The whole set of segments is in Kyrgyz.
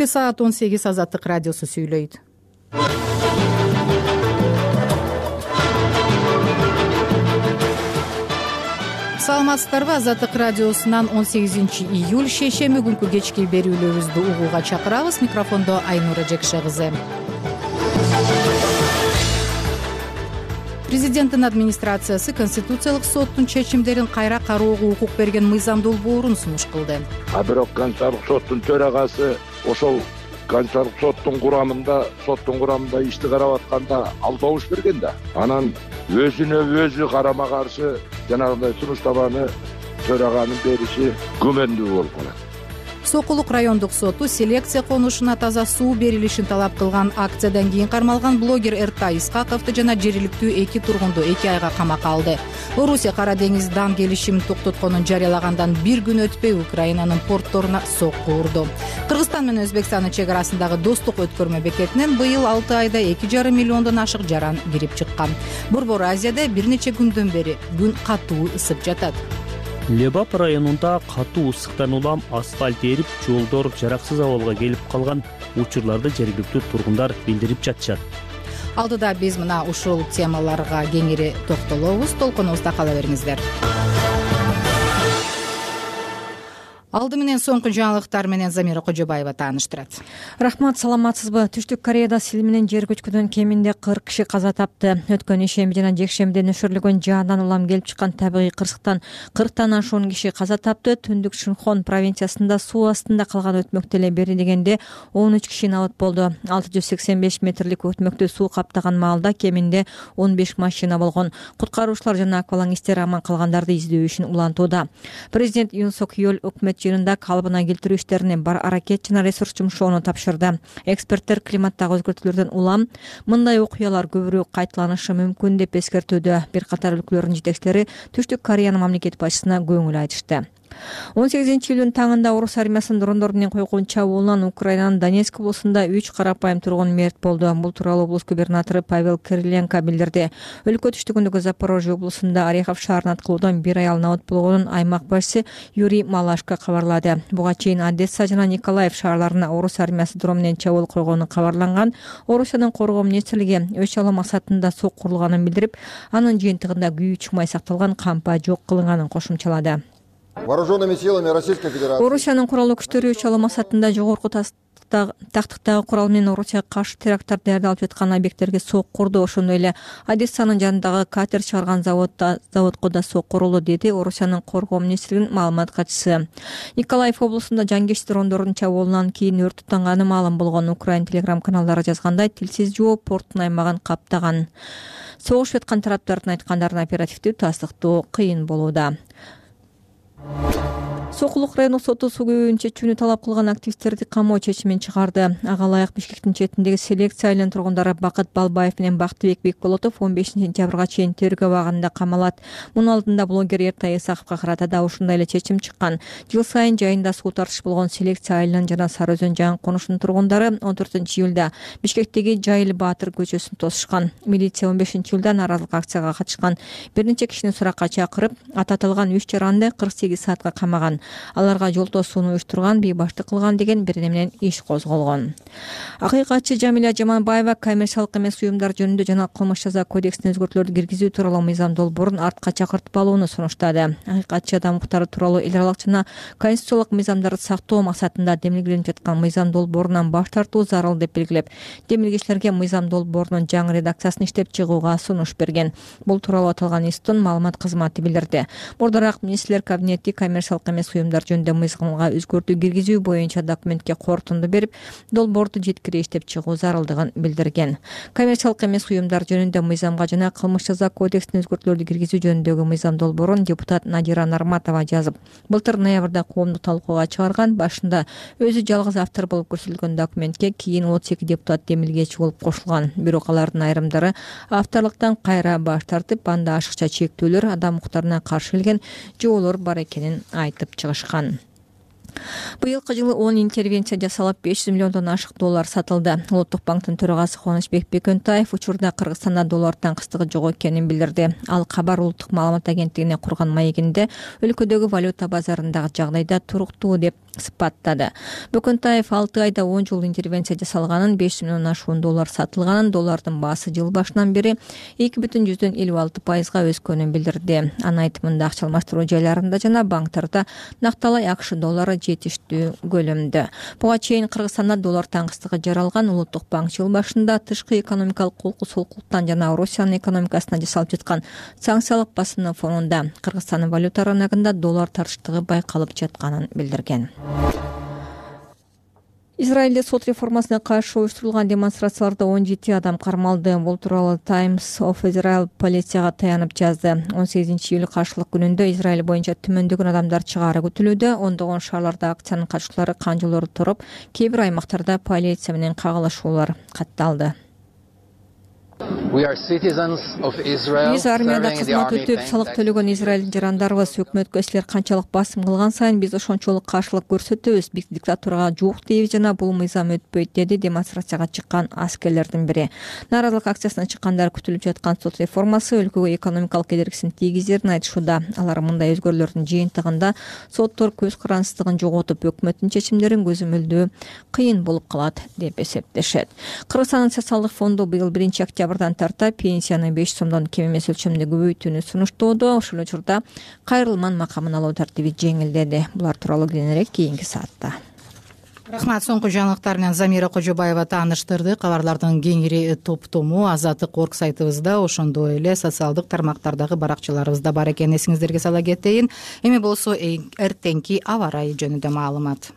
Саат 18 Азаттык радиосу сүйлөйт. Саламатсыздарбы? Азаттык радиосунан 18 июль шейшемби күнкү кечки берүүлөрүбүздү угууга чакырабыз. Микрофондо Айнура Жекше кызы. Президенттин администрациясы Конституциялык соттун чечимдерин кайра кароого укук берген мыйзам долбоорун сунуш кылды. Бирок Конституциялык соттун төрагасы ошол Конституциялык соттун курамында ишти карап атканда ал добуш берген да. Анан өзүнө өзү карама каршы жанагындай сунуштаманы төраганын бериши күмөндүү болуп калат. Сокулук райондук соту селекция конушуна таза суу берилишин талап кылган акциядан кийин кармалган блогер Эртай Исхаковду жана жергиликтүү 2 тургунду 2 айга камакка алды. Орусия Кара деңиз дан келишимин токтотконун жарыялагандан бир күн өтпөй Украинанын портторуна сокку урду. Кыргызстан менен Өзбекстандын чек арасындагы достук өткөрмө бекетинен быйыл 6 айда 2,5 миллиондон ашык жаран кирип чыккан. Борбор Азияда бир нече күндөн бери күн катуу ысып жатат. Лебап районунда катуу ысыктан улам асфальт эрип, жолдор жараксыз абалга келип калган учурларды жергиликтүү тургундар билдирип жатышат. Алдыда биз мына ушул темаларга кеңири токтолобуз. Толкунубузда кала бериңиздер. Алды менен соңку жаңылыктар менен Замира Кожобаева тааныштырат. Рахмат, саламатсызбы? Түштүк Кореяда сел менен жер көчкүдөн кеминде 40 киши каза тапты. Өткөн ишемби жана жекшембиде нөшөрлөгөн жаандан улам келип чыккан табигый кырсыктан 40тан ашуун киши каза тапты. Түндүк Шинхон провинциясында суу астында калган өтмөктө эле бери дегенде 13 киши набыт болду. 685 метрлик өтмөктү суу каптаган маалда кеминде 15 машина болгон. Куткаруучулар жана аквалангисттер аман калгандарды издөө ишин улантууда. Президент Юн Сок Йол өкмөт жыйынында калыбына келтирүү иштерине бар аракет жана ресурс жумшоону тапшырды. Эксперттер климаттагы өзгөртүүлөрдөн улам мындай окуялар көбүрөөк кайталанышы мүмкүн деп эскертүүдө. Бир катар өлкөлөрдүн жетекчилери Түштүк Кореянын мамлекет башчысына көңүл айтышты. 18-июлдун таңында Орус армиясынын дрондору менен койгон чабуулунан Украинанын Донецк облусунда 3 карапайым тургун мерт болду. Бул тууралуу облус губернатору Павел Кириленко билдирди. Өлкө түштүгүндөгү Запорожье облусунда Орехов шаарына аткылуудан бир аял набыт болгонун аймак башчысы Юрий Малашко кабарлады. Буга чейин Одесса жана Николаев шаарларына Орус армиясы дрон менен чабуул койгону кабарланган. Орусиянын коргоо министрлиги өч алуу максатында сок курулганын билдирип, анын жыйынтыгында күйүү чыкмай сакталган кампа жок кылынганын кошумчалады. Вооруженными силами Российской Федерации Орусиянын куралдуу күчтөрү өч алуу максатында жогорку тактыктагы курал менен Орусияга каршы теракттар даярдалып жаткан объекттерге сок курду. Ошондой эле Одессанын жанындагы катер чыгарган заводко да сок курулду, деди Орусиянын коргоо министрлигинин маалымат катчысы. Николаев облусунда жангеч дрондордун чабуулунан кийин өрт тутанганы маалым болгон. Украин телеграм каналдары жазгандай, тилсиз жоо порттун аймагын каптаган. Согушуп жаткан тараптардын айткандарын оперативдүү тастыктоо кыйын болууда. Сокулук райондук соту суу көбөйүүнү чечүүнү талап кылган активисттерди камоо чечимин чыгарды. Ага ылайык Бишкектин четиндеги селекция айылынын тургундары Бакыт Балбаев менен Бактыбек Бекболотов 15 сентябрга чейин тергөө абагында камалат. Мунун алдында блогер Эртай Исхаковго карата да ушундай эле чечим чыккан. Жыл сайын жайында суу тартыш болгон селекция айылынын жана Сары Өзөн жаңы конушунун тургундары 14-июлда Бишкектеги Жайыл Баатыр көчөсүн тосушкан. Милиция 15-июлда нааразылык акцияга катышкан. Бир нече кишини суракка чакырып, ататылган 3 жаранды 48 саатка камаган. Аларга жол тосууну уюштурган, бейбаштык кылган деген бир менен иш козголгон. Акыйкатчы Жамиля Жаманбаева коммерциялык эмес уюмдар жөнүндө жана кылмыш жаза кодексине өзгөртүүлөрдү киргизүү тууралуу мыйзам долбоорун артка чакыртып алууну сунуштады. Акыйкатчы адам укуктары тууралуу эл аралык жана конституциялык мыйзамдарды сактоо максатында демилгеленип жаткан мыйзам долбоорунан баш тартуу зарыл деп белгилеп, демилгечилерге мыйзам долбоорунун жаңы редакциясын иштеп чыгууга сунуш берген. Бул тууралуу аталган институттун маалымат кызматы билдирди. Мурдараак министрлер кабинети коммерциялык эмес уюмдар жөнүндө мыйзамга өзгөртүү киргизүү боюнча документке корутунду берип, долбоорду жеткире иштеп чыгуу зарылдыгын билдирген. Коммерциялык эмес уюмдар жөнүндө мыйзамга жана кылмыш жаза кодексине өзгөртүүлөрдү киргизүү жөнүндөгү мыйзам долбоорун депутат Надира Нарматова жазып, былтыр ноябрда коомдук талкууга чыгарган. Башында өзү жалгыз автор болуп көрсөтүлгөн документке кийин 32 депутат демилгечи болуп кошулган. Бирок алардын айрымдары авторлуктан кайра баш тартып, анда ашыкча чектөөлөр, адам укуктарына каршы келген жоолор бар экенин айтып чыгышкан. Быйылкы жылы 10 интервенция жасалып, 500 миллиондон ашык доллар сатылды. Улуттук банктын төрагасы Кубанычбек Бекөнтаев учурда Кыргызстанда доллар таңкыстыгы жок экенин билдирди. Ал Кабар улуттук маалымат агенттигине курган маегинде өлкөдөгү валюта базарындагы жагдайда туруктуу деп сыпаттады. Бөкөнтаев 6 айда 10 жыл интервенция жасалганын, 5 миллион ашуун доллар сатылганын, доллардын баасы жыл башынан бери 2,56%га өскөнүн билдирди. Анын айтымында акча алмаштыруу жайларында жана банктарда накталай акш доллары жетиштүү көлөмдө. Буга чейин Кыргызстанда доллар таңкыстыгы жаралган. Улуттук банк жыл башында тышкы экономикалык колку-солкулуктан жана Россиянын экономикасына жасалып жаткан санкциялык басымдын фонунда Кыргызстандын валюта рыногунда доллар тартыштыгы байкалып жатканын билдирген. Израилде сот реформасына каршы уюштурулган демонстрацияларда 17 адам кармалды. Бул тууралуу Times of Israel полицияга таянып жазды. 18-июль каршылык күнүндө Израиль боюнча түмөндөгөн адамдар чыгаары күтүлүүдө. Ондогон шаарларда акциянын катчылары канжылоорду туруп, кээ бир аймактарда полиция менен кагылышуулар катталды. Биз армияда кызмат өтүп, салык төлөгөн Израилдин жарандарыбыз. Өкмөткө силер канчалык басым кылган сайын биз ошончолук каршылык көрсөтөбүз. Биз диктатурага жок дейбиз жана бул мыйзам өтпөйт, деди демонстрацияга чыккан аскерлердин бири. Нааразылык акциясына чыккандар күтүлүп жаткан сот реформасы өлкөгө экономикалык кедергисин тийгизерин айтышууда. Алар мындай өзгөрүүлөрдүн жыйынтыгында соттор көз карандысыздыгын жоготуп, өкмөттүн чечимдерин көзөмөлдөө кыйын болуп калат деп эсептешет. Кыргызстандын социалдык фонду быйыл 1-октябрдан тарта пенсияны 5 сомдон кем эмес өлчөмдө көбөйтүүнү сунуштоодо. Ошол учурда кайрылман макамын алуу тартиби жеңилдеди. Булар тууралуу кененирээк кийинки саатта. Рахмат. Соңку жаңылыктар менен Замира Кожобаева тааныштырды. Кабарлардын кеңири топтому Азаттык орг сайтыбызда, ошондой эле социалдык тармактардагы баракчаларыбызда бар экенин эсиңиздерге сала кетейин. Эми болсо эртеңки аба ырайы жөнүндө маалымат.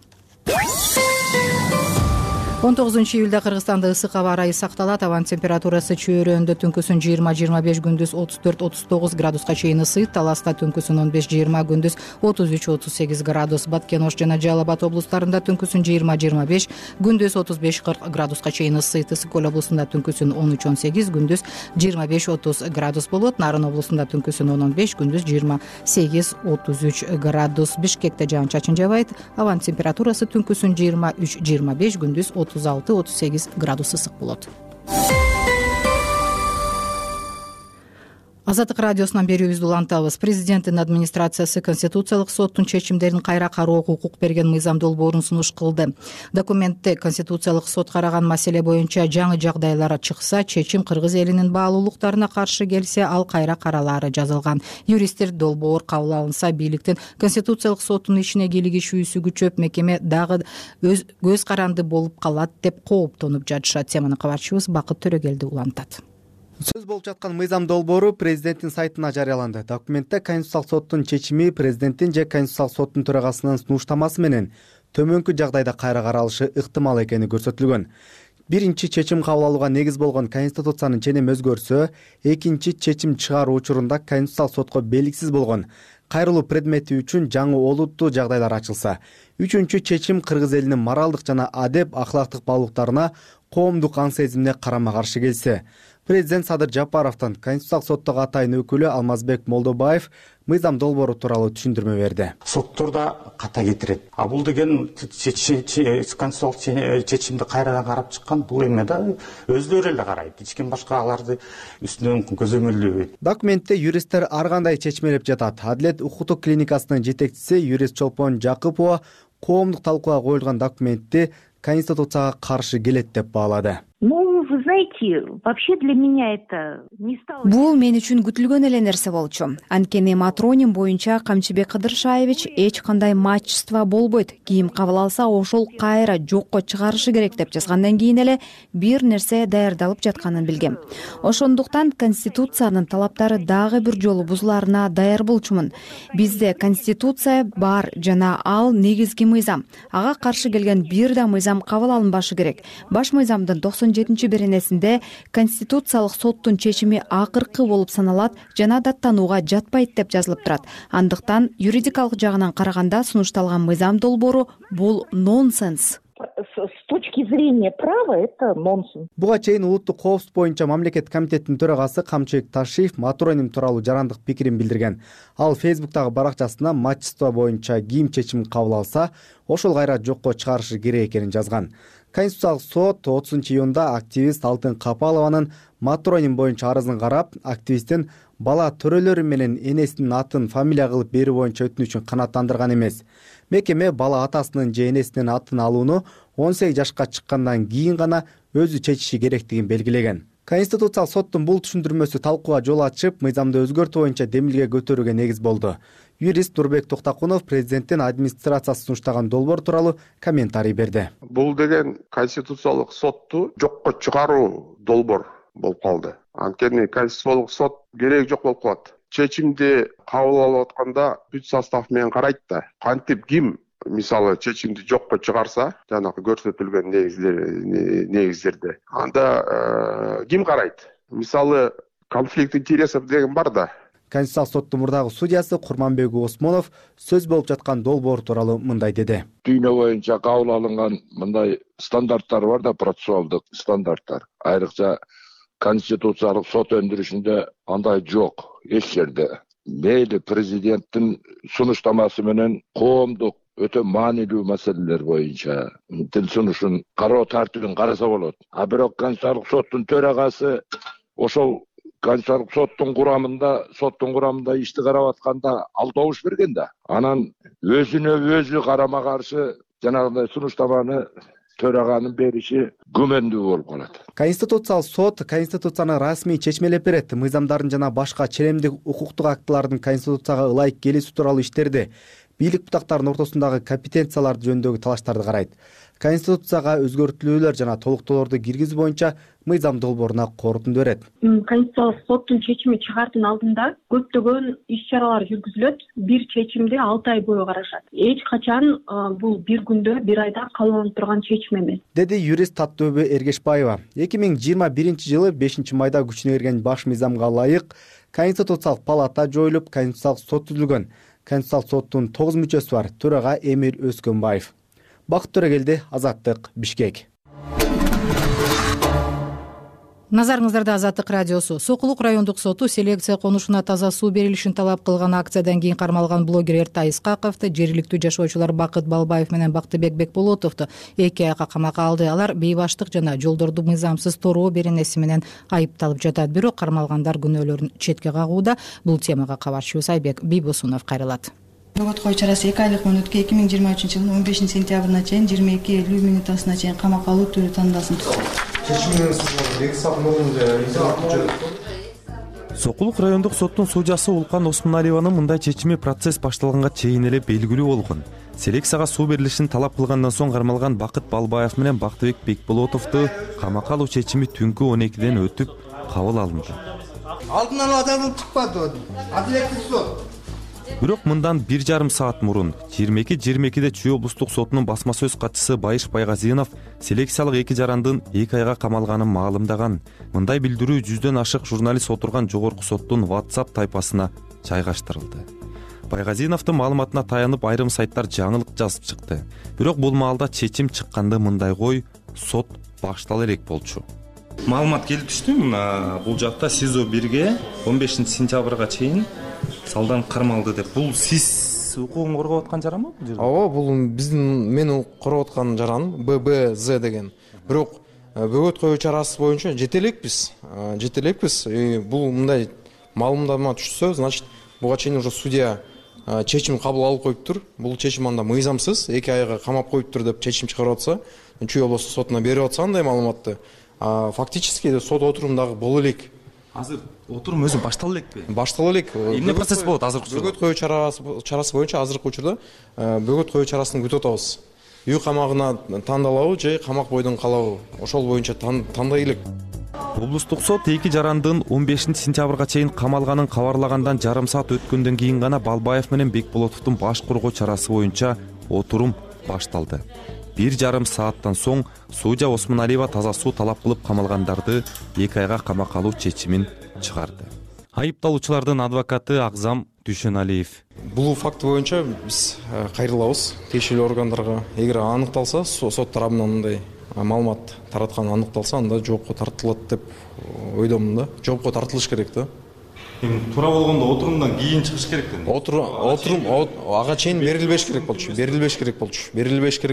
19-июлда Кыргызстанда ысык аба ырайы сакталат. Абанын температурасы чөйрөндө түнкүсүн 20-25, күндүз 34-39 градуска чейин ысыйт. Таласта түнкүсүн 15-20, күндүз 33-38 градус. Баткен, Ош жана Жалал Абад облустарында түнкүсүн 20-25, күндүз 35-40 градуска чейин ысыйт. Ысык көл облусунда түнкүсүн 13-18, күндүз 25-30 градус болот. Нарын облусунда түнкүсүн 10-15, күндүз 28-33 градус. Бишкекте жаан-чачын жабайт. Абанын температурасы түнкүсүн 23-25, күндүз 36-38 градус ысык болот. Азаттык радиосунан берүүбүздү улантабыз. Президенттин администрациясы Конституциялык соттун чечимдерин кайра кароого укук берген мыйзам долбоорун сунуш кылды. Документте Конституциялык сот караган маселе боюнча жаңы жагдайлар чыкса, чечим кыргыз элинин баалуулуктарына каршы келсе, ал кайра каралаары жазылган. Юристтер долбоор кабыл алынса, бийликтин Конституциялык соттун ишине кийлигишүүсү күчөп, мекеме дагы көз каранды болуп калат деп кооптонуп жатышат. Теманы кабарчыбыз Бакыт Төрөгелди улантат. Сөз болуп жаткан мыйзам долбоору президенттин сайтына жарыяланды. Документте Конституциялык соттун чечими президенттин же Конституциялык соттун төрагасынын сунуштамасы менен төмөнкү жагдайда кайра каралышы ыктымал экени көрсөтүлгөн. Биринчи чечим кабыл алууга негиз болгон Конституциянын ченеми өзгөрсө, экинчи чечим чыгаруу учурунда Конституциялык сотко белгисиз болгон кайрылуу предмети үчүн жаңы олуттуу жагдайлар ачылса, үчүнчү чечим кыргыз элинин моралдык жана адеп ахлактык баалуулуктарына коомдук аң сезимине карама каршы келсе, президент Садыр Жапаровдон Конституциялык соттогу атайын өкүлү Алмазбек Молдобаев мыйзам долбоору тууралуу түшүндүрмө берди. Сотторда ката кетирет. А бул деген конституциялык чечимди кайрадан карап чыккан, бул эме да өздөрү эле карайт. Эч ким башка аларды үстүнөн көзөмөлдөбөйт. Документте юристтер ар кандай чечмелеп жатат. Адилет укуктук клиникасынын жетекчиси юрист Чолпон Жакыпова коомдук талкууга коюлган документти Конституцияга каршы келет деп баалады. Вы знаете, вообще для меня это не стало... Бул мен үчүн күтүлгөн эле нерсе болчу. Анткени матроним боюнча Камчыбек Кыдыршаевич эч кандай мачтва болбойт. Ким кабыл алса, ошол кайра жокко чыгарышы керек деп жазгандан кийин эле бир нерсе даярдалып жатканын билгем. Ошондуктан Конституциянын талаптары дагы бир жолу бузулаарына даяр болчумун. Бизде Конституция бар жана ал негизги мыйзам. Ага каршы келген бир да мыйзам кабыл алынбашы керек. Баш мыйзамдын 97-беренесинде Конституциялык соттун чечими акыркы болуп саналат жана даттанууга жатпайт деп жазылып турат. Андыктан юридикалык жагынан караганда сунушталган мыйзам долбоору бул нонсенс. С точки зрения права это нонсенс. Буга чейин улуттук коопсуздук боюнча мамлекет комитетинин төрагасы Камчыбек Ташиев матроним тууралуу жарандык пикирин билдирген. Ал Фейсбуктагы баракчасына мачтва боюнча ким чечим кабыл алса, ошол кайра жокко чыгарышы керек экенин жазган. Конституциялык сот 30-июнда активист Алтын Капалованын матроним боюнча арызын карап, активисттин бала төрөлөрү менен энесинин атын фамилия кылып берүү боюнча өтүнүчүн канааттандырган эмес. Мекеме бала атасынын же энесинин атын алууну 18 жашка чыккандан кийин гана өзү чечиши керектигин белгилеген. Конституциялык соттун бул түшүндүрмөсү талкууга жол ачып, мыйзамды өзгөртүү боюнча демилге көтөрүүгө негиз болду. Юрист Нурбек Токтакунов президенттин администрациясы сунуштаган долбоор тууралуу комментарий берди. Бул деген конституциялык сотту жокко чыгаруу долбоор болуп калды. Анткени конституциялык сот кереги жок болуп калат. Чечимди кабыл алып атканда бүт состав менен карайт да. Кантип ким мисалы чечимди жокко чыгарса, жанагы көрсөтүлгөн негиздерде, анда ким карайт? Мисалы конфликт интересов деген бар да. Конституциялык соттун мурдагы судьясы Курманбек Осмонов сөз болуп жаткан долбоор тууралуу мындай деди. Дүйнө боюнча кабыл алынган мындай стандарттар бар да, процессуалдык стандарттар. Айрыкча конституциялык сот өндүрүшүндө андай жок эч жерде. Мейли президенттин сунуштамасы менен коомдук өтө маанилүү маселелер боюнча тил сунушун кароо тартибин караса болот. А бирок конституциялык соттун төрагасы ошол конституциялык соттун курамында ишти карап атканда ал добуш берген да. Анан өзүнө-өзү карама каршы жанагындай сунуштаманы төраганын бериши күмөндүү болуп калат. Конституциялык сот конституцияны расмий чечмелеп берет. Мыйзамдардын жана башка ченемдик укуктук актылардын конституцияга ылайык келүүсү тууралуу иштерди, бийлик бутактарынын ортосундагы компетенциялар жөнүндөгү талаштарды карайт. Конституцияга өзгөртүүлөр жана толуктоолорду киргизүү боюнча мыйзам долбооруна корутунду берет. Конституциялык соттун чечими чыгаардын алдында көптөгөн иш-чаралар жүргүзүлөт. Бир чечимди 6 ай бою карашат. Эч качан бул бир күндө, бир айда кабыл алынып турган чечим эмес, деди юрист Таттөбү Эргешбаева. 2021-жылы 5-майда күчүнө кирген баш мыйзамга ылайык Конституциялык палата жоюлуп, Конституциялык сот түзүлгөн. Конституциялык соттун 9 мүчөсү бар. Төрага Эмир Өскөнбаев. Бакыт Төрөгелди, Азаттык, Бишкек. Назарыңыздарда Азаттык радиосу. Сокулук райондук соту селекция конушуна таза суу берилишин талап кылган акциядан кийин кармалган блогер Эртай Исқақовду, жергиликтүү жашоочулар Бакыт Балбаев менен Бактыбек Бекболотовду 2 айга камакка алды. Алар бейбаштык жана жолдорду мыйзамсыз тороо беренеси менен айыпталып жатат. Бирок кармалгандар күнөөлөрүн четке кагууда. Бул темага кабарчыбыз Айбек Бийбосунов кайрылат. Бөгөт кою чарасы 2 айлык мөөнөткө 2023-жылдын 15 сентябрына чейин 22:50 мүнөтүнө чейин камакка алуу түрү тандалсын. Сокулук райондук соттун судьясы Улкан Осмоналиеванын мындай чечими процесс башталганга чейин эле белгилүү болгон. Селекцияга суу берилишин талап кылгандан соң кармалган Бакыт Балбаев менен Бактыбек Бекболотовду камакка алуу чечими түнкү 12-ден өтүп кабыл алынды. Алдын ала жазылып чыкпады. Адилеттик сот. Бирок мындан 1,5 саат мурун 22:22-де Чүй облустук сотунун басма сөз катчысы Байыш Байгазинов селекциялык 2 жарандын 2 айга камалганын маалымдаган. Мындай билдирүү 100дөн ашык журналист отурган жогорку соттун WhatsApp тайпасына жайгаштырылды. Байгазиновдун маалыматына таянып айрым сайттар жаңылык жазып чыкты. Бирок бул маалда чечим чыкканды мындай кой, сот баштала элек болчу. Маалымат келип түштү. Мына бул жакта СИЗО 1ге 15 сентябрга чейин салдан кармалды деп. Бул сиз укугун коргоп аткан жаранбы бул жерде? Ооба, бул биздин мен коргоп аткан жаран ББЗ деген. Бирок бөгөт коюу чарасы боюнча жетелекпиз. Бул мындай маалымдама түшсө, значит, буга чейин уже судья чечим кабыл алып коюптур. Бул чечим анда мыйзамсыз 2 айга камап коюптур деп чечим чыгарып атса, Чүй облустук сотуна берип атса андай маалыматты. Фактически сот отурумдагы боло элек. Азыр отурум өзү баштала элекпи? Баштала элек. Эмне процесс болот азыркы учурда? Бөгөт коюу чарасы боюнча азыркы учурда бөгөт коюу чарасын күтүп атабыз. Үй камагына тандалабы же камак бойдон калабы? Ошол боюнча тандай элек. Облустук сот 2 жарандын 15 сентябрга чейин камалганын кабарлагандан жарым саат өткөндөн кийин гана Балбаев менен Бекболотовдун баш коргоо чарасы боюнча отурум башталды. 1,5 сааттан соң судья Осмоналиева таза суу талап кылып камалгандарды 2 айга камакка алуу чечимин чыгарды. Айыпталуучулардын адвокаты Акзам Дүйшөналиев. Бул факт боюнча биз кайрылабыз тиешелүү органдарга. Эгер аныкталса, сот тарабынан мындай маалымат тараткан аныкталса, анда жоопко тартылат деп ойдомун да. Жоопко тартылыш керек да. Туура болгондо отурумдан кийин чыгыш керек да. Отурум ага чейин берилбеш керек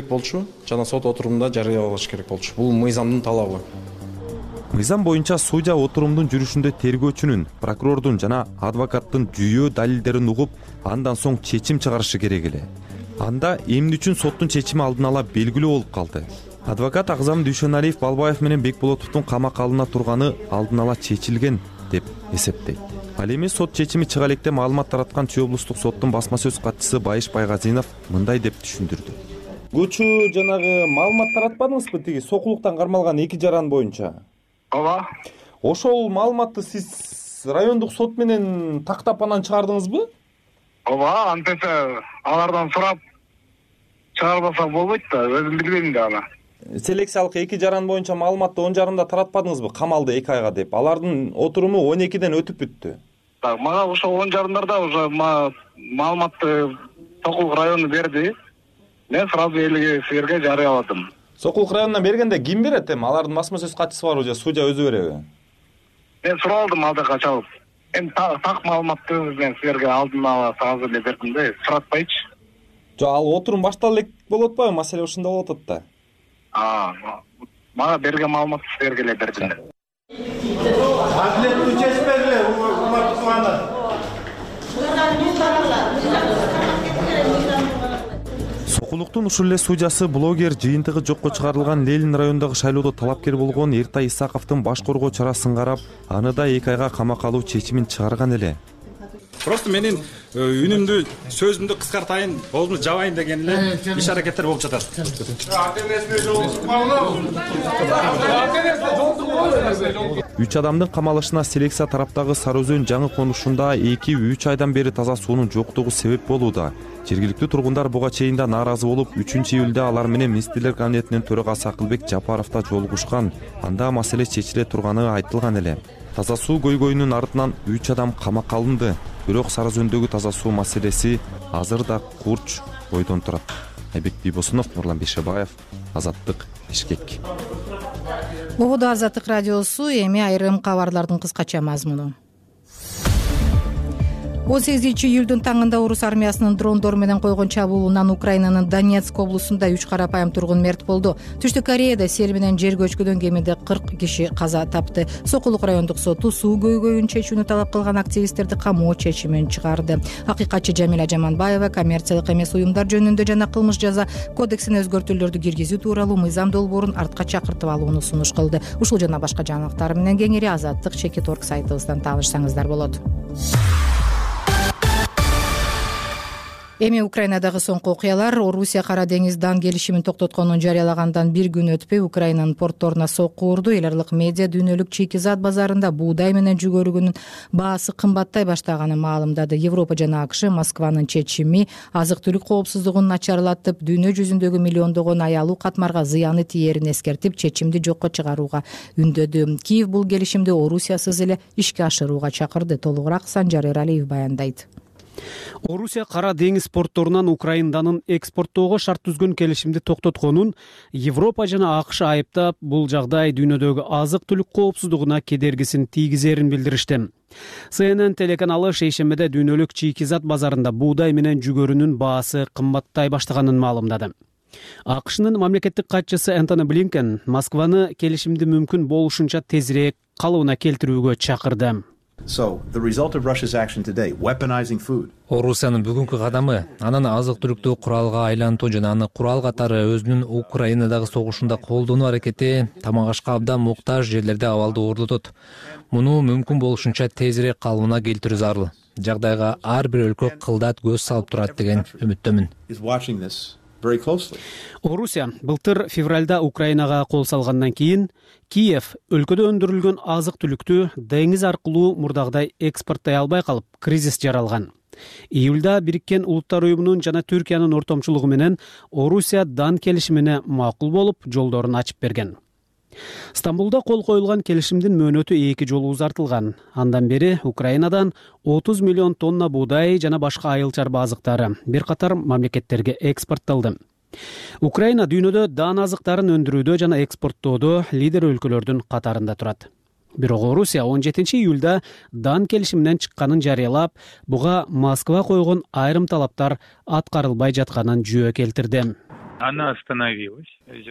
болчу. Жана сот отурумда жарыялаш керек болчу. Бул мыйзамдын талабы. мыйзам боюнча судья отурумдун жүрүшүндө тергөөчүнүн, прокурордун жана адвокаттын жүйөө далилдерин угуп, андан соң чечим чыгарышы керек эле. Анда эмне үчүн соттун чечими алдын ала белгилүү болуп калды. Адвокат Агзам Дүйшөналиев Балбаев менен Бекболотовдун камакка алына турганы алдын ала чечилген деп эсептейт. Ал эми сот чечими чыга электе маалымат тараткан Чүй облустук соттун басма сөз катчысы Байыш Байгазинов мындай деп түшүндүрдү. Көчү жанагы маалымат таратпадыңызбы тиги сокулуктан кармалган 2 жаран боюнча? Ооба. Ошол маалыматты сиз райондук сот менен тактап анан чыгардыңызбы? Ооба, антесе алардан сурап чыгарбаса болбойт да, өзүм билбейм да аны. Селекциялык 2 жаран боюнча маалыматты 10 жарымда таратпадыңызбы? Камалды 2 айга деп. Алардын отуруму 12ден өтүп бүттү. Так, мага ошол 10 жарымдарда уже маалыматты Сокулук району берди. Мен сразу элге силерге жарыяладым. Сокулук районунан бергенде ким берет эми? Алардын басма сөз катчысы барбы же судья өзү береби? Мен суралдым алдыга чалып. Эми так маалыматты мен силерге алдын ала сразу эле бердим да, суратпайчы. Жок, ал отурум баштала элек болуп атпайбы? Маселе ушунда болуп атат да. Мага берген маалыматты силерге эле бердим. Адилеттүү чечим бергиле, урматтуу туугандар. Сокулуктун ушул эле судьясы блогер жыйынтыгы жокко чыгарылган Ленин районундагы шайлоодо талапкер болгон Эртай Исаковдун баш коргоо чарасын карап, аны да 2 айга камакка алуу чечимин чыгарган эле. Просто менин үнүмдү, сөзүмдү кыскартайын, болумду жабайын деген эле иш аракеттер болуп жатат. 3 адамдын камалышына селекция тараптагы Сары Өзөн жаңы конушунда 2-3 айдан бери таза суунун жоктугу себеп болууда. Жергиликтүү тургундар буга чейин да нааразы болуп, 3-июлда алар менен Министрлер кабинетинин төрагасы Акылбек Жапаровда жолугушкан. Анда маселе чечиле турганы айтылган эле. Таза суу көйгөйүнүн артынан 3 адам камакка алынды. Бирок Сары Өзөндөгү таза суу маселеси азыр да курч ойдон турат. Айбек Бийбосунов, Нурлан Бейшебаев, Азаттык, Бишкек. Ободо Азаттык радиосу, эми айрым кабарлардын кыскача мазмуну. 18-июлдун таңында орус армиясынын дрондор менен койгон чабуулунан Украинанын Донецк облусунда 3 карапайым тургун мерт болду. Түштүк Кореяда сел менен жер көчкүдөн кеминде 40 киши каза тапты. Сокулук райондук соту суу көйгөйүн чечүүнү талап кылган активисттерди камоо чечимин чыгарды. Акыйкатчы Жамиля Жаманбаева коммерциялык эмес уюмдар жөнүндө жана кылмыш жаза кодексине өзгөртүүлөрдү киргизүү тууралуу мыйзам долбоорун артка чакыртып алууну сунуш кылды. Ушул жана башка жаңылыктар менен кеңири Азаттык Чекит.орг сайтыбыздан таанышсаңыздар болот. Эми Украинадагы соңку окуялар. Орусия Кара деңиз дан келишимин токтотконун жарыялагандан 1 күн өтпөй Украинанын портторуна сокку урду. Эл аралык медиа дүйнөлүк чийки зат базарында буудай менен жүгөрүгүнүн баасы кымбаттай баштаганын маалымдады. Европа жана АКШ Москванын чечими азык-түлүк коопсуздугун начарлатып, дүйнө жүзүндөгү миллиондогон аялуу катмарга зыяны тиерин эскертип, чечимди жокко чыгарууга үндөдү. Киев бул келишимди Орусиясыз эле ишке ашырууга чакырды. Толугураак Санжар Эралиев баяндайт. Орусия Кара деңиз портторунан Украинанын экспорттоого шарт түзгөн келишимди токтотконун Европа жана АКШ айыптап, бул жагдай дүйнөдөгү азык-түлүк коопсуздугуна кедергисин тийгизерин билдиришти. CNN телеканалы шейшембиде дүйнөлүк чийки зат базарында буудай менен жүгөрүнүн баасы кымбаттай баштаганын маалымдады. АКШнын мамлекеттик катчысы Энтони Блинкен Москваны келишимди мүмкүн болушунча тезирээк калыбына келтирүүгө чакырды. Орусиянын бүгүнкү кадамы анан азык-түлүктү куралга айлантуу жана аны курал катары өзүнүн Украинадагы согушунда колдонуу аракети тамак ашка абдан муктаж жерлерде абалды орнотот. Муну мүмкүн болушунча тезирээк калыбына келтирүү зарыл. Жагдайга ар бир өлкө кылдат көз салып турат деген үмүттөмүн. Орусия былтыр февралда Украинага кол салгандан кийин Киев өлкөдө өндүрүлгөн азык-түлүктү деңиз аркылуу мурдагыдай экспорттой албай калып, кризис жаралган. Июлда Бириккен Улуттар уюмунун жана Түркиянын ортомчулугу менен Орусия дан келишимине макул болуп, жолдорун ачып берген. Стамбулда кол коюлган келишимдин мөөнөтү 2 жолу узартылган. Андан бери Украинадан 30 миллион тонна буудай жана башка айыл чарба азыктары бир катар мамлекеттерге экспорттолду. Украина дүйнөдө дан азыктарын өндүрүүдө жана экспорттоодо лидер өлкөлөрдүн катарында турат. Бирок Орусия 17 июлда дан келишиминен чыкканын жарыялап, буга Москва койгон айрым талаптар аткарылбай жатканын жүйө келтирди. Она остановилась.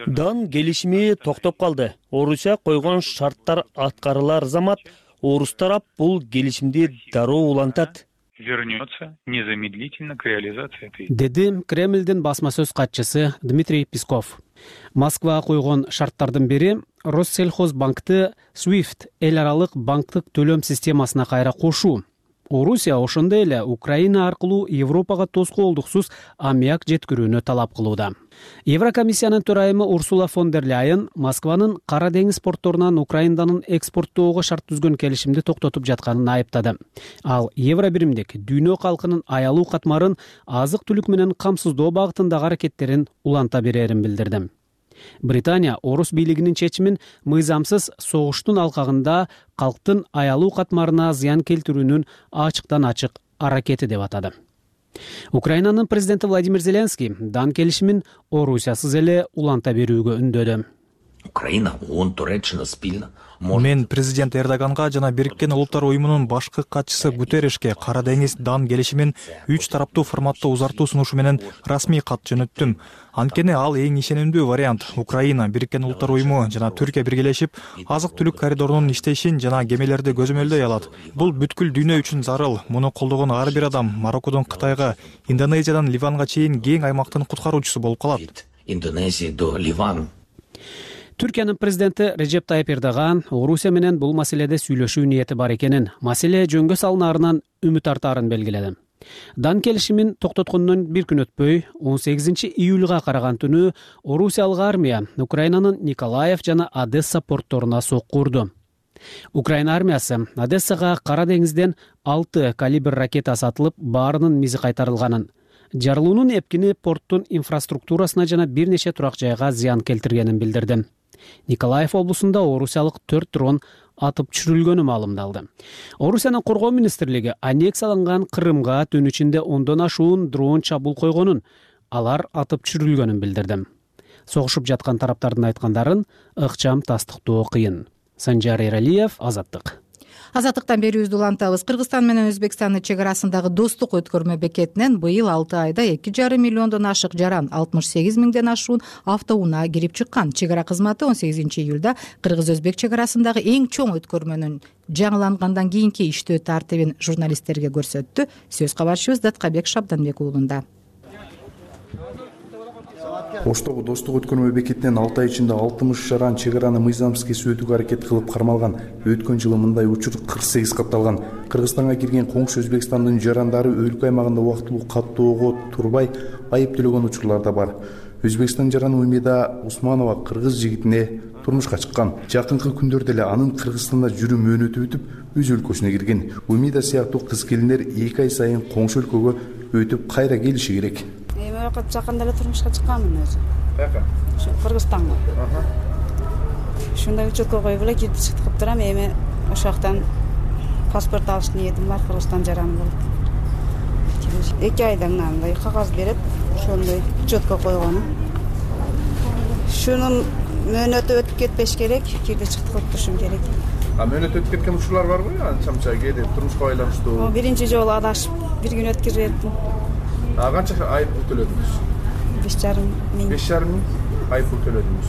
Дан келишими токтоп калды. Орусия койгон шарттар аткарылар замат орус тарап бул келишимди дароо улантат. Вернется незамедлительно к реализации этой. Деди Кремлдин басма сөз катчысы Дмитрий Песков. Москва койгон шарттардын бири Россельхозбанкты SWIFT эл аралык банктык төлөм системасына кайра кошуу. Орусия ошондой эле Украина аркылуу Европага тоскоолдуксуз аммиак жеткирүүнү талап кылууда. Еврокомиссиянын төрайымы Урсула фон дер Ляйен Москванын Кара деңиз портторунан Украинанын экспорттоого шарт түзгөн келишимди токтотуп жатканын айыптады. Ал евро биримдик дүйнө калкынын аялуу катмарын азык-түлүк менен камсыздоо багытындагы аракеттерин уланта берерин билдирди. Британия орус бийлигинин чечимин мыйзамсыз согуштун алкагында калктын аялуу катмарына зыян келтирүүнүн ачыктан ачык аракети деп атады. Украинанын президенти Владимир Зеленский дан келишимин Орусиясыз эле уланта берүүгө үндөдү. Украина, ООН, Туреччина спильно. Мен президент Эрдоганга жана Бириккен Улуттар уюмунун башкы катчысы Гутерришке Кара деңиз дан келишимин 3 тараптуу форматта узартуу сунушу менен расмий кат жөнөттүм. Анткени ал эң ишенимдүү вариант. Украина, Бириккен Улуттар уюму жана Түркия биргелешип азык-түлүк коридорунун иштешин жана кемелерди көзөмөлдөй алат. Бул бүткүл дүйнө үчүн зарыл. Муну колдогон ар бир адам Мароккодон Кытайга, Индонезиядан Ливанга чейин кең аймактын куткаруучусу болуп калат. Индонезия до Ливан. Түркиянын президенти Режеп Тайып Эрдоган Орусия менен бул маселеде сүйлөшүү ниети бар экенин, маселе жөнгө салынаарынан үмүт артаарын белгиледи. Дан келишимин токтоткондон бир күн өтпөй 18 июлга караган түнү Орусиялык армия Украинанын Николаев жана Одесса портторуна сокку урду. Украина армиясы Одессага Кара деңизден 6 калибр ракета сатылып, баарынын мизи кайтарылганын, жарылуунун эпкини порттун инфраструктурасына жана бир нече турак жайга зыян келтиргенин билдирди. Николаев облусунда орусиялык 4 дрон атып түшүрүлгөнү маалымдалды. Орусиянын коргоо министрлиги аннексияланган Крымга түн ичинде 10дон ашуун дрон чабуул койгонун, алар атып түшүрүлгөнүн билдирди. Согушуп жаткан тараптардын айткандарын ыкчам тастыктоо кыйын. Санжар Эралиев, Азаттык. Азаттыктан берүүбүздү улантабыз. Кыргызстан менен Өзбекстандын чек арасындагы достук өткөрмө бекетинен быйыл 6 айда 2,5 миллиондон ашык жаран 68 миңден ашуун автоунаа кирип чыккан. Чек ара кызматы 18 июлда кыргыз-өзбек чек арасындагы эң чоң өткөрмөнүн жаңылангандан кийинки иштөө тартибин журналисттерге көрсөттү. Сөз кабарчыбыз Даткабек Шабданбек уулунда. Оштогу достук өткөрмө бекетинен 6 ай ичинде 60 жаран чек араны мыйзамсыз кесип өтүүгө аракет кылып кармалган. Өткөн жылы мындай учур 48 катталган. Кыргызстанга кирген коңшу Өзбекстандын жарандары өлкө аймагында убактылуу каттоого турбай айып төлөгөн учурлар да бар. Өзбекстан жараны Умида Усманова кыргыз жигитине турмушка чыккан. Жакынкы күндөрдө эле анын Кыргызстанда жүрүү мөөнөтү бүтүп, өз өлкөсүнө кирген. Умида сыяктуу кыз келиндер 2 ай сайын коңшу өлкөгө өтүп кайра келиши керек. Жакында эле турмушка чыкканмын өзү. Каяка? Ушу Кыргызстанга. Ушундай учеткө коюп эле кирип чыктып турам. Эми ошол жактан паспорт алыш ниетим бар, Кыргызстан жараны болуп. 2 айдан андай кагаз берет, ошондой учеткө койгону. Шунун мөөнөтү өтүп кетпеш керек, кирди чыктып отурушум керек. Мөөнөт өтүп кеткен учурлар барбы? Анча-мынча кээде турмушка байланыштуу. Биринчи жолу адашып, бир күн өткөрүп. Канча айып пул төлөдүңүз? 5,5 миң. 5,5 миң айып пул төлөдүңүз.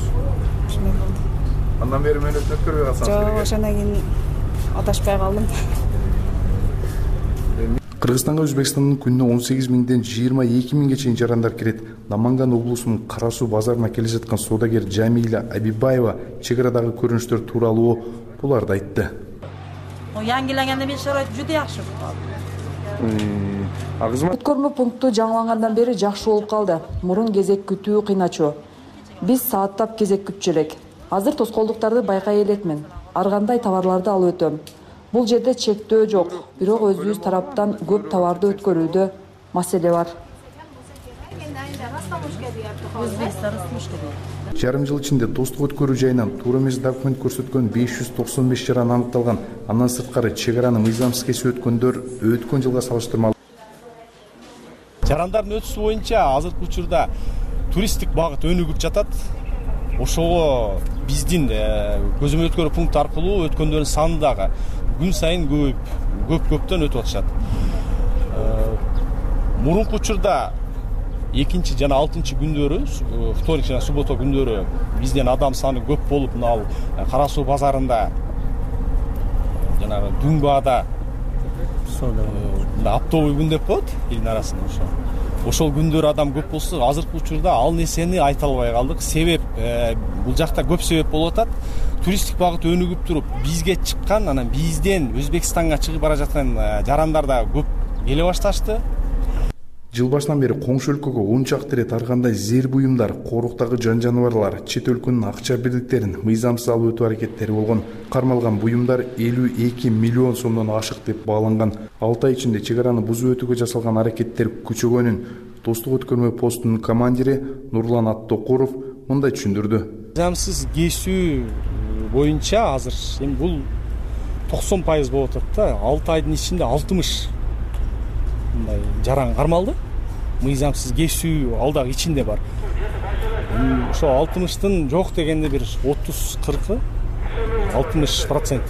Андан бери мөөнөтүн өткөрбөй калсаңыз керек. Жок, ошондон кийин адашпай калдым. Кыргызстанга Өзбекстандын күнүнө 18 миңден 22 миңге чейин жарандар кирет. Наманган облусунун Кара суу базарына келе жаткан соодагер Жамиля Абибаева чек арадагы көрүнүштөр тууралуу буларды айтты. Yangilanganda men sharoit juda yaxshi bo'ldi. Өткөрмө пункту жаңылангандан бери жакшы болуп калды. Мурун кезек күтүү кыйначу. Биз сааттап кезек күтчү элек. Азыр тоскоолдуктарды байкай элекмин. Ар кандай товарларды алып өтөм. Бул жерде чектөө жок, бирок өзүбүз тараптан көп товарды өткөрүүдө маселе бар. Жарым жыл ичинде достук өткөрүү жайынан туура эмес документ көрсөткөн 595 жаран аныкталган. Андан сырткары чек араны мыйзамсыз кесип өткөндөр өткөн жылга салыштырмалуу. Жарандардын өтүшү боюнча азыркы учурда туристтик багыт өнүгүп жатат. Ошого биздин көзөмөл өткөрүү пункту аркылуу өткөндөрдүн саны дагы күн сайын көптөн өтүп атышат. Мурунку учурда экинчи жана 6 күндөрү, вторник жана суббота күндөрү бизден адам саны көп болуп, мына Кара Суу базарында, жанагы Дүңбаада оптовый күн деп коет элдин арасында. Ошол күндөрү адам көп болсо, азыркы учурда ал нерсени айта албай калдык. Себеп бул жакта көп себеп болуп атат. Туристтик багыт өнүгүп туруп, бизге чыккан, анан бизден Өзбекстанга чыгып бара жаткан жарандар да көп келе башташты. Жыл башынан бери коңшу өлкөгө 10 чакты ирет ар кандай зер буюмдар, коруктагы жан жаныбарлар, чет өлкөнүн акча бирдиктерин мыйзамсыз алып өтүү аракеттери болгон. Кармалган буюмдар 52 миллион сомдон ашык деп бааланган. 6 ай ичинде чек араны бузуп өтүүгө жасалган аракеттер күчөгөнүн Достук өткөрмө постунун командири Нурлан Аттокуров мындай түшүндүрдү. Мыйзамсыз кесүү боюнча азыр эми бул 90% болуп атат да. 6 айдын ичинде 60 мындай жаран кармалды. Мыйзамсыз кесүү ал дагы ичинде бар. Ошо 60тын жок дегенде бир 30-40 60%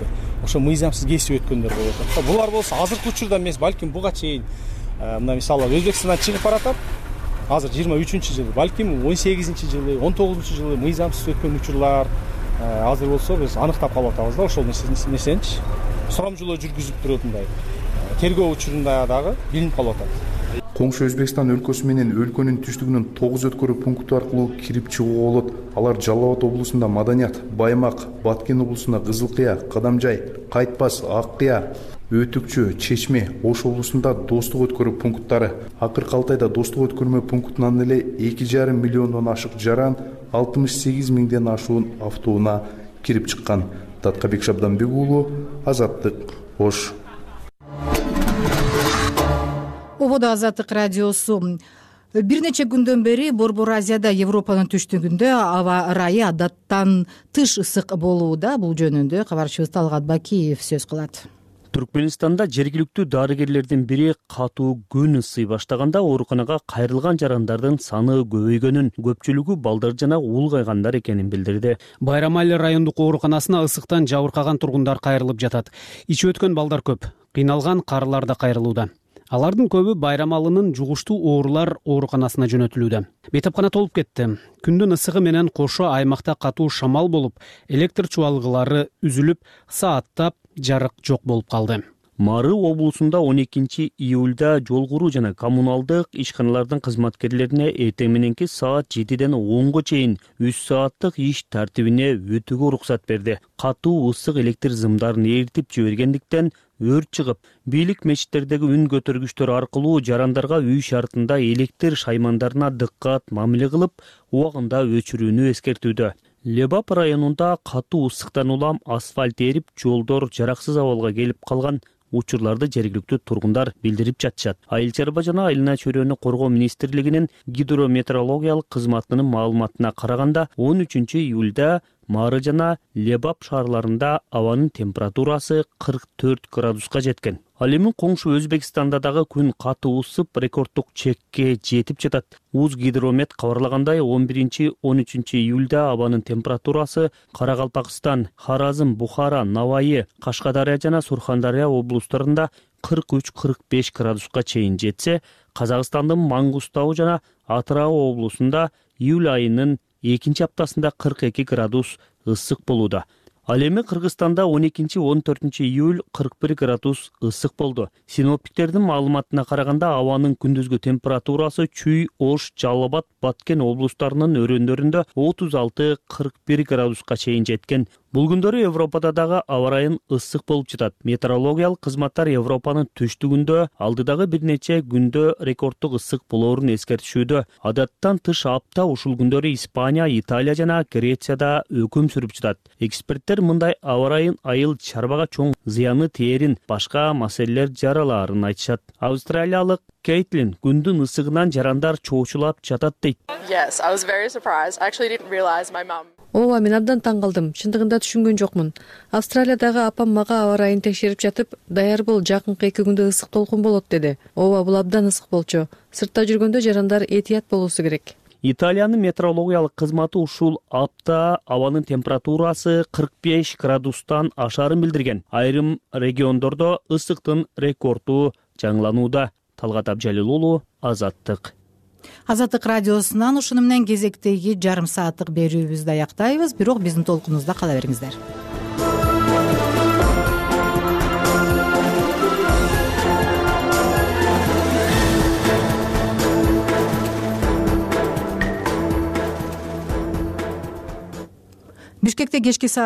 ошо мыйзамсыз кесип өткөндөр болуп атат. Булар болсо азыркы учурда эмес, балким буга чейин мына мисалы Өзбекстандан чыгып баратат. Азыр 23-жыл, балким 18-жылы, 19-жылы мыйзамсыз өткөн учурлар азыр болсо биз аныктап калып атабыз да. Ошол нерсеничи сурамжылоо жүргүзүп туруп мындай тергөө учурунда дагы билинип калып атат. Коңшу Өзбекстан өлкөсү менен өлкөнүн түштүгүнүн 9 өткөрүү пункту аркылуу кирип чыгууга болот. Алар Жалал Абад облусунда Маданият, Баймак, Баткен облусунда Кызылкыя, Кадамжай, Кайтпас, Аккыя, Өтүкчү, Чечме, Ош облусунда Достук өткөрүү пункттары. Акыркы 6 айда Достук өткөрмө пунктунан эле 2,5 миллиондон ашык жаран 68 миңден ашуун автоунаа кирип чыккан. Таткабек Шабданбек уулу, Азаттык, Ош. Ободо Азаттык радиосу. Бир нече күндөн бери Борбор Азияда Европанын түштүгүндө аба ырайы адаттан тыш ысык болууда. Бул жөнүндө кабарчыбыз Талгат Бакиев сөз кылат. Түркменистанда жергиликтүү дарыгерлердин бири катуу күн ысый баштаганда ооруканага кайрылган жарандардын саны көбөйгөнүн, көпчүлүгү балдар жана улгайгандар экенин билдирди. Байрамали райондук ооруканасына ысыктан жабыркаган тургундар кайрылып жатат. Ичип өткөн балдар көп, кыйналган карылар да кайрылууда. Алардын көбү Байрамалынын жугуштуу оорулар ооруканасына жөнөтүлүүдө. Бейтапкана толуп кетти. Күндүн ысыгы менен кошо аймакта катуу шамал болуп, электр чубалгылары үзүлүп, сааттап жарык жок болуп калды. Мары облусунда 12 июлда жол куруу жана коммуналдык ишканалардын кызматкерлерине эртең мененки саат 7ден 10го чейин 3 сааттык иш тартибине өтүүгө уруксат берди. Катуу ысык электр зымдарын эритип жибергендиктен өрт чыгып, бийлик мечиттердеги үн көтөргүчтөр аркылуу жарандарга үй шартында электр шаймандарына дыккат мамиле кылып, убагында өчүрүүнү эскертүүдө. Лебап районунда катуу ысыктан улам асфальт эрип, жолдор жараксыз абалга келип калган учурларды жергиликтүү тургундар билдирип жатышат. Айыл чарба жана айылына чөйрөнү коргоо министрлигинин гидрометеорологиялык кызматынын маалыматына караганда 13 июлда Мары жана Лебап шаарларында абанын температурасы 44 градуска жеткен. Ал эми коңшу Өзбекстанда дагы күн катуу ысып, рекорддук чекке жетип жатат. Узгидромет кабарлагандай 11-13 июлда абанын температурасы Каракалпакстан, Харазм, Бухара, Навайы, Кашкадария жана Сурхандария облустарында 43-45 градуска чейин жетсе, Казакстандын Мангустау жана Атырау облусунда июль айынын экинчи аптасында 42 градус ысык болууда. Ал эми Кыргызстанда 12-14 июль 41 градус ысык болду. Синоптиктердин маалыматына караганда абанын күндүзгү температурасы Чүй, Ош, Жалал Абад, Баткен облустарынын өрөөндөрүндө 36-41 градуска чейин жеткен. Бул күндөрү Европада дагы аба ырайын ысык болуп жатат. Метеорологиялык кызматтар Европанын түштүгүндө алдыдагы бир нече күндө рекорддук ысык болоорун эскертишүүдө. Адаттан тыш апта ушул күндөрү Испания, Италия жана Грецияда өкүм сүрүп жатат. Эксперттер мындай аба ырайын айыл чарбага чоң зыяны тээрин, башка маселелер жаралаарын айтышат. Австралиялык Кейтлин күндүн ысыгынан жарандар чоочулап жатат дейт. Yes, I was very surprised. I actually didn't realize my mom. Ооба, мен абдан таң калдым. Чындыгында түшүнгөн жокмун. Австралиядагы апам мага аба ырайын текшерип жатып, даяр бол, жакынкы 2 күндө ысык толкун болот деди. Ооба, бул абдан ысык болчу. Сыртта жүргөндө жарандар этият болуусу керек. Италиянын метеорологиялык кызматы ушул апта абанын температурасы 45 градустан ашаарын билдирген. Айрым региондордо ысыктын рекорду жаңыланууда. Талгат Абжалил уулу, Азаттык. Азаттык радиосунан ушуну менен кезектеги жарым сааттык берүүбүздү аяктайбыз, бирок биздин толкунубузда кала бериңиздер. Бишкекте кечки саат